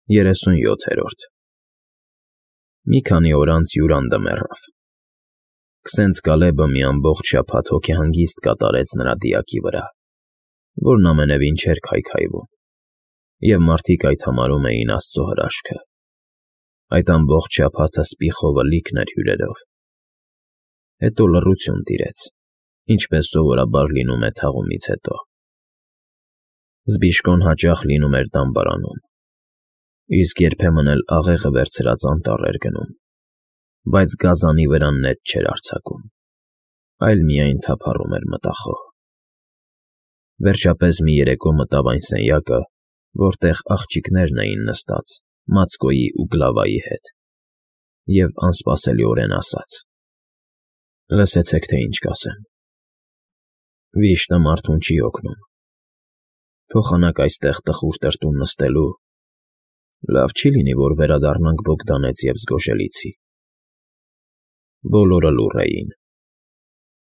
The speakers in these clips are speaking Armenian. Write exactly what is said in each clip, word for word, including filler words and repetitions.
Երեսունյոթերորդ Մի քանի օր անց հյուրանդը մեռավ։ Քսենց Կալեբը մի ամբողջ շաբաթ հոգեհանգիստ կատարեց նրա դիակի վրա, որն ամենևին չէր քայքայվում, և մարդիկ այդ համարում էին Աստծո հրաշքը։ Այդ ամբողջ շաբաթը սպիխովը լիքն էր հյուրերով։ Հետո լռություն տիրեց, ինչպես սովորաբար լինում է թաղումից հետո։ Զբիշկոն հաճախ լինում էր դամբարանում, իսկ երբեմն էլ աղեղը վերցրած անտառ էր գնում, բայց գազանի վրա նետ չէր արձակում, այլ միայն թափառում էր մտախոհ։ Վերջապես մի երեկո մտավ այն սենյակը, որտեղ աղջիկներն էին նստած Մացկոյի ու Գլավայի հետ, և անսպասելիորեն ասաց. «Լսեցեք, թե ինչ կասեմ։ Վիշտը մարդուն չի օգնում։ Փոխանակ այստեղ տխուր տրտում նստելու, լավ չի լինի, որ վերադառնանք Բոգդանեց և Զգոշելիցի»։ Բոլորը լուռ էին։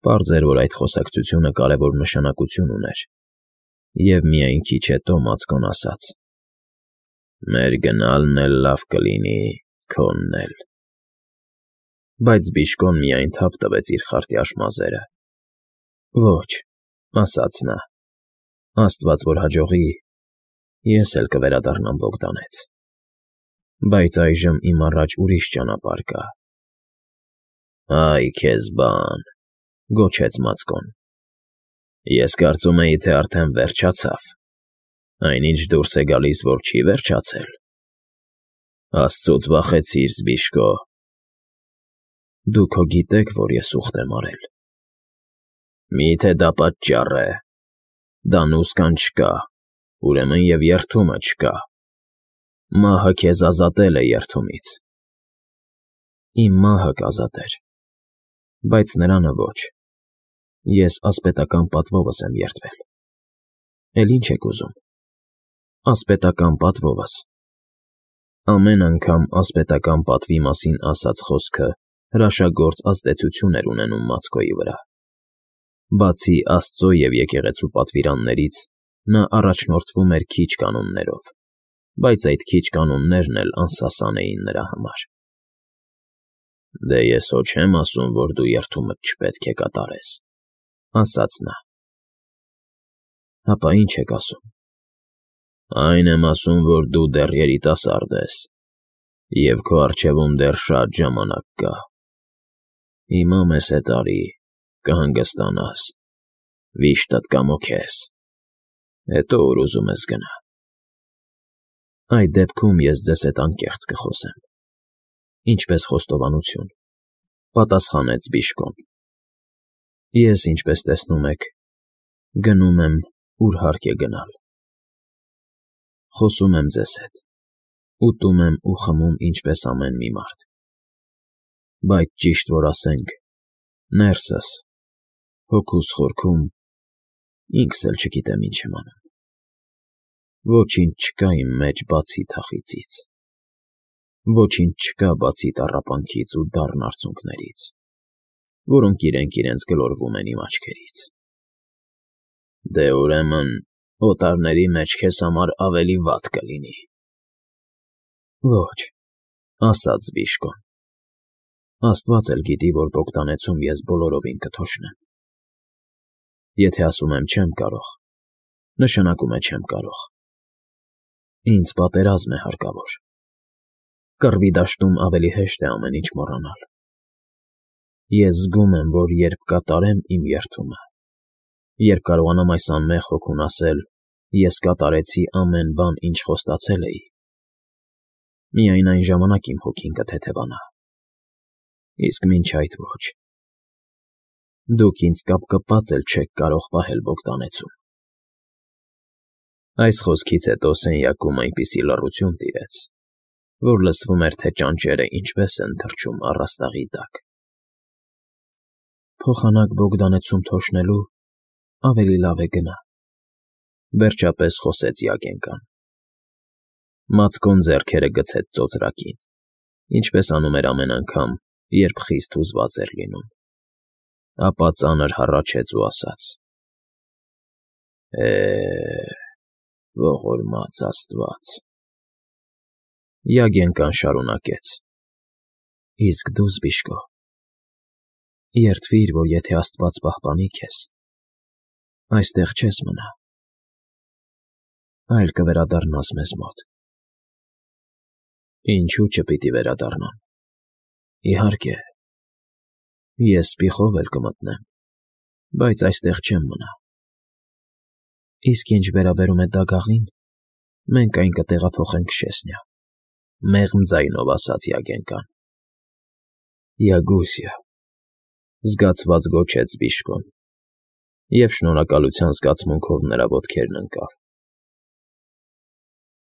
Պարզ էր, որ այդ խոսակցությունը կարևոր նշանակություն ուներ, և միայն քիչ հետո Մացկոն ասաց. «Մեր գնալն էլ լավ կլինի, քոնն էլ»։ Բայց Զբիշկոն միայն թափ տվեց իր խարտյաշ մազերը։ «Ոչ», ասաց նա, «Աստված որ հաջողի, ես էլ կվերադառնամ Բոգդանեց, բայց այժմ իմ առաջ ուրիշ ճանապարհ կա»։ «Այ քեզ բան,֊ գոչեց Մացկոն,֊ ես կարծում էի, թե արդեն վերջացավ, այնինչ դուրս է գալիս, որ չի վերջացել։ Աստծուց վախեցի՛ր, Զբիշկո»։ «Դուք հո գիտեք, որ ես ուխտ եմ արել»։ «Մի՞թե դա պատճառ է։ Դանուս կան չկա, ուրեմն և երդումը չկա։ Մահը քեզ ազատել է երդումից»։ «Իմ մահը կազատեր, բայց նրանը ոչ։ Ես ասպետական պատվովս եմ երդվել»։ «Էլ ի՞նչ եք ուզում»։ «Ասպետական պատվովս»։ Ամեն անգամ ասպետական պատվի մասին ասած խոսքը հրաշագործ ազդեցություն էր ունենում Մացկոյի վրա։ Բացի Աստծո և եկեղեցու պատվիրաններից, նա առաջնորդվում էր քիչ կանոններով, բայց այդ քիչ կանոններն էլ անսասան էին նրա համար։ «Դե ես հո չեմ ասում, որ դու երդումդ չպետք է կատարես», ասաց նա։ «Հապա ի՞նչ եք ասում»։ «Այն եմ ասում, որ դու դեռ երիտասարդ ես, և քո առջևում դեռ շատ ժամանակ կա։ Հիմա մեզ հետ արի, կհանգստանաս, վիշտդ կամոքես, հետո ուր ուզում ես գնա»։ «Այդ դեպքում ես ձեզ հետ անկեղծ կխոսեմ, ինչպես խոստովանություն», պատասխանեց Զբիշկոն։ «Ես, ինչպես տեսնում եք, գնում եմ, ուր հարկ է գնալ։ Խոսում եմ ձեզ հետ, ուտում եմ ու խմում ինչպես ամեն մի մարդ։ Բայց ճիշտ որ ասենք, ներսս, հոգուս խորքում, ինքս էլ չգիտեմ ինչ եմ անում։ Ոչինչ չկա իմ մեջ բացի թախիծից, ոչինչ չկա բացի տառապանքից ու դառն արցունքներից, որոնք իրենք իրենց գլորվում են իմ աչքերից»։ «Դե ուրեմն օտարների մեջ քեզ համար ավելի վատ կլինի»։ «Ոչ», ասաց Զբիշկոն, «Աստված էլ գիտի, որ Բոգդանեցում ես բոլորովին կթոշնեմ։ Եթե ասում եմ չեմ կարող, նշանակում է չեմ կարող։ Ինձ պատերազմ է հարկավոր։ Կռվի դաշտում ավելի հեշտ է ամեն ինչ մոռանալ։ Ես զգում եմ, որ երբ կատարեմ իմ երդումը, երբ կարողանամ այս անմեղ հոգուն ասել. «Ես կատարեցի ամեն բան, ինչ խոստացել էի», միայն այն ժամանակ իմ հոգին կթեթևանա, իսկ մինչ այդ ոչ։ Դուք ինձ կապկպած էլ չեք կարող պահել Բոգդանեցում»։ Այս խոսքից հետո սենյակում այնպիսի լռություն տիրեց, որ լսվում էր, թե ճանճերը ինչպես են թռչում առաստաղի տակ։ «Փոխանակ Բոգդանեցում թոշնելու ավելի լավ է գնա», վերջապես խոսեց Յագենկան։ Մացկոն ձեռքերը գցեց ծոծրակին, ինչպես անում էր ամեն անգամ, երբ խիստ հուզված էր լինում, ապա ծանր հառաչեց ու ասաց. «Է, ողորմած Աստված, Յագենկան շարունակեց. Իսկ դու, Զբիշկո, երդվիր, որ եթե աստված պահպանի քեզ, այստեղ չես մնա, այլ կվերադառնաս մեզ մոտ։ Ինչո՞ւ չպիտի վերադառնամ, իհարկե, ես սպիխով էլ կմտնեմ, բայց այստեղ չեմ մնա։ Իսկ ինչ վերաբերում է Դագաղին, մենք այն կտեղափոխենք Շեսնյա, մեղմ ձայնով ասաց Յագենկան։ Յագուսյա, զգացված գոչեց Զբիշկոն և շնորհակալության զգացմունքով նրա ոտքերն ընկավ։